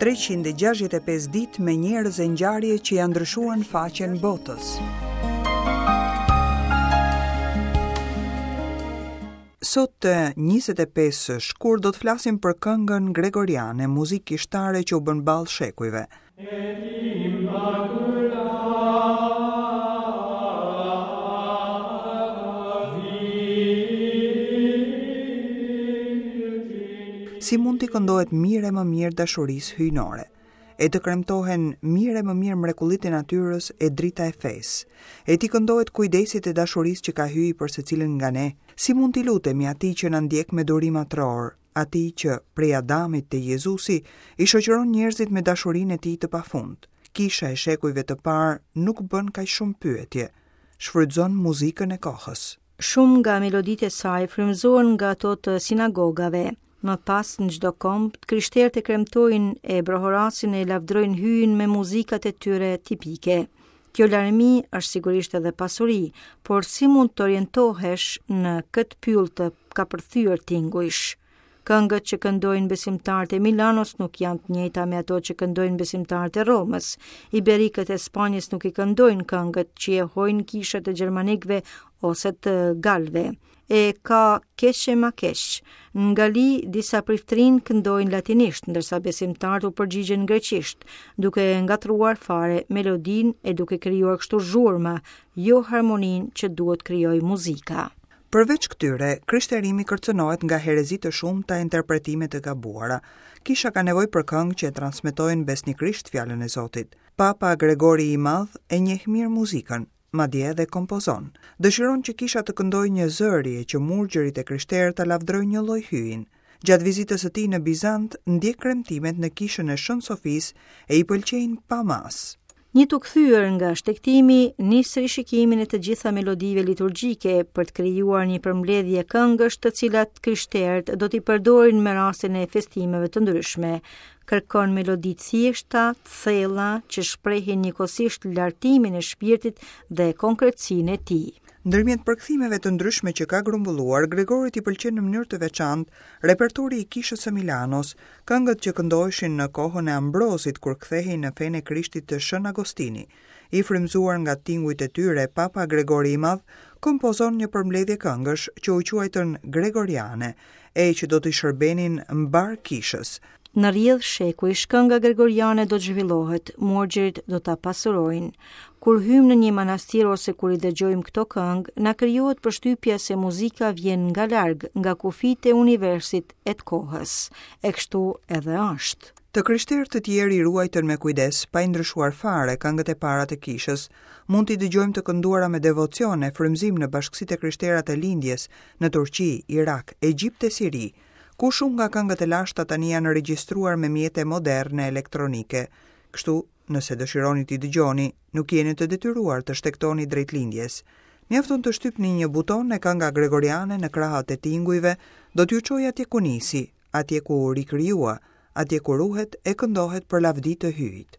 365 ditë me njerëz e ngjarje që ia ndryshuan faqen botës. Sot 25 shkurt do të flasim për këngën gregoriane, muzikë kishtare që u bën ballë shekujve. Si mund t'i këndohet mirë e më mirë dashurisë hyjnore, e të kremtohen mirë e më mirë mrekullitë e natyrës e drita e fesë, e t'i këndohet kujdesit e dashurisë që ka Hyji për secilin nga ne, si mund t'i lutemi atij që na ndjek me durim atëror, atij që, prej Adamit te Jezusi, i shoqëron njerëzit me dashurinë e tij të pafund. Kisha e shekujve të parë nuk bën kaq shumë pyetje, shfrytëzon muzikën e kohës. Shumë nga meloditë e saj frymëzohen nga ato të sinagogave. Më pas në çdo komb, të krishterët e kremtojnë e brohorasin e lavdërojnë Hyjin me muzikat e tyre tipike. Kjo larmi është sigurisht edhe pasuri, por si mund të orientohesh në këtë pyll të kapërthyer tingujsh? Këngët që këndojnë besimtarët e Milanos nuk janë të njëjta me ato që këndojnë besimtarët e Romës. Iberikët e Spanjës nuk i këndojnë këngët që jehojnë kishat e gjermanikëve ose të galëve. E ka keq e ma keq. Në Gali, disa priftërinj këndojnë latinisht, ndërsa besimtarët u përgjigjen greqisht, duke ngatërruar fare melodinë e duke krijuar kështu zhurmë, jo harmoninë që duhet të krijojë muzika. Përveç këtyre, krishterimi kërcënohet nga herezi të shumta e interpretime të gabuara. Kisha ka nevojë për këngë që e transmetojnë besnikërisht fjalën e Zotit. Papa Gregori i Madh e njeh mirë muzikën. madje edhe kompozon. Dëshiron që kisha të këndojë njëzëri e që murgjërit e krishterë ta lavdërojnë njëlloj Hyjin. Gjatë vizitës së tij në Bizant, ndjek kremtimet në kishën e Shën Sofisë e i pëlqejnë pa masë. Një t'u kthyer nga shtegtimi, nis rishikimin e të gjitha melodive liturgjike për të krijuar një përmbledhje këngësh të cilat krishterët do t'i përdorin me rastin e festimeve të ndryshme. Kërkon melodi të thjeshta, të thella, që shprehin njëkohësisht lartimin e shpirtit dhe konkretësinë e tij. Ndërmjet përkthimeve të ndryshme që ka grumbulluar, Gregorit i pëlqen në mënyrë të veçantë repertori i Kishës së Milanos, këngët që këndoheshin në kohën e Ambrozit kur kthehej në fenë e Krishtit të Shën Agostini. I frymëzuar nga tingujt e tyre, Papa Gregori i Madh kompozon një përmbledhje këngësh që u quajtën Gregoriane, e që do t'i shërbenin mbarë kishës. Në rrjedhë shekujsh, kënga gregoriane do të zhvillohet, murgjërit do ta pasurojnë. Kur hyjmë në një manastir ose kur i dëgjojmë këto këngë, na krijohet përshtypja se muzika vjen nga larg, nga kufijtë e universit e të kohës. E kështu edhe është. Të krishterë të tjerë i ruajtën me kujdes, pa i ndryshuar fare, këngët e para të kishës. Mund t'i dëgjojmë të kënduara me devocion e frymëzim në bashkësitë e krishtera të Lindjes, në Turqi, Irak, Egjipt e Siri, ku shumë nga këngët e lashta tani janë regjistruar me mjete moderne elektronike. Kështu, nëse dëshironi t'i dëgjoni, nuk jeni të detyruar të shtegtoni drejt Lindjes. Mjafton të shtypni një buton e kënga gregoriane në krahët e tingujve do t'ju çojë atje ku nisi, atje ku u rikrijua, atje ku ruhet e këndohet për lavdi të Hyjit.